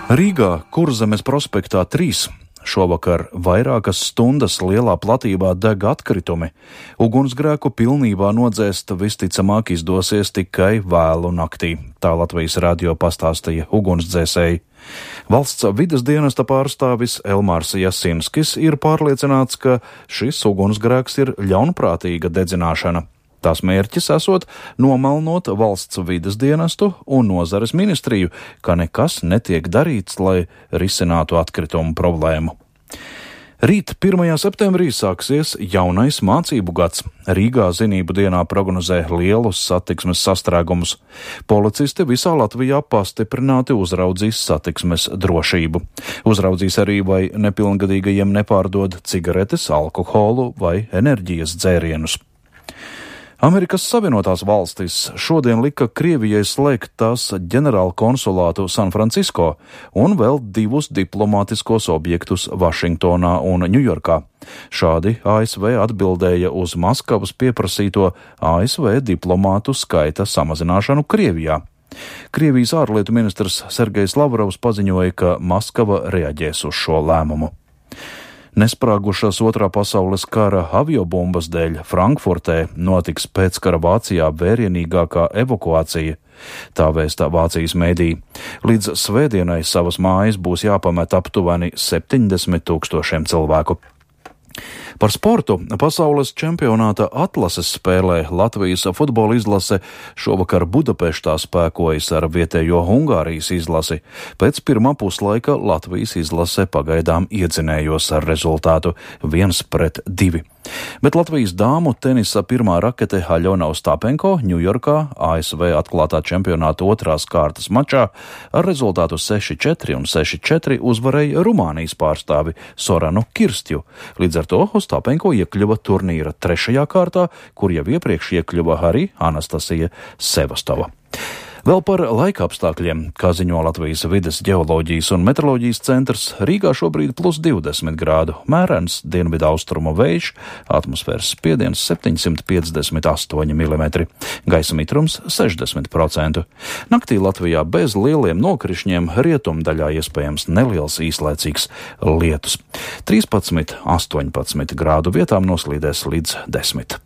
Rīgā Kurzemes prospektā 3 šovakar vairākas stundas lielā platībā deg atkritumi. Ugunsgrēku pilnībā nodzēst visticamāk izdosies tikai vēlu naktī, tā Latvijas radio pastāstīja ugunsdzēsēji. Valsts vides dienesta pārstāvis Elmārs Jasinskis ir pārliecināts, ka šis ugunsgrēks ir ļaunprātīga dedzināšana. Tās mērķis esot nomelnot valsts vides dienestu un nozares ministriju, ka nekas netiek darīts, lai risinātu atkritumu problēmu. Rīt 1. septembrī sāksies jaunais mācību gads. Rīgā zinību dienā prognozē lielus satiksmes sastrēgumus. Policisti visā Latvijā pastiprināti uzraudzīs satiksmes drošību. Uzraudzīs arī, vai nepilngadīgajiem nepārdod cigaretes, alkoholu vai enerģijas dzērienus. Amerikas Savienotās valstis šodien lika Krievijai slēgt tās ģenerāla konsulātu San Francisco un vēl 2 diplomātiskos objektus Vašingtonā un Ņujorkā. Šādi ASV atbildēja uz Maskavas pieprasīto ASV diplomātu skaita samazināšanu Krievijā. Krievijas ārlietu ministrs Sergejs Lavrovs paziņoja, ka Maskava reaģēs uz šo lēmumu. Nesprāgušas Otrā pasaules kara aviobumbas dēļ Frankfurtē notiks pēckara Vācijā vērienīgākā evakuācija. Tā vēsta Vācijas mēdī. Līdz svētdienai savas mājas būs jāpamet aptuveni 70 000 cilvēku. Par sportu pasaules čempionāta atlases spēlē Latvijas futbola izlase šovakar Budapeštā spēkojas ar vietējo Ungārijas izlasi. Pēc pirmā puslaika Latvijas izlase pagaidām iedzinējos ar rezultātu 1-2. Bet Latvijas dāmu tenisa pirmā rakete Aļona Ostapenko Ņujorkā ASV atklātā čempionāta 2. kārtas mačā ar rezultātu 6-4 un 6-4 uzvarēja Rumānijas pārstāvi Soranu Kirstju. Līdz ar to Ostapenko iekļuva turnīra 3. kārtā, kur jau iepriekš iekļuva arī Anastasija Sevastova. Vēl par laika apstākļiem, kā ziņo Latvijas vides ģeoloģijas un meteoroloģijas centrs, Rīgā šobrīd +20 grādu, mērens dienvidu austrumu vējš, atmosfēras spiediens 758 mm, gaisa mitrums 60%. Naktī Latvijā bez lieliem nokrišņiem rietumdaļā iespējams neliels īslaicīgs lietus. 13-18 grādu vietām noslīdēs līdz 10.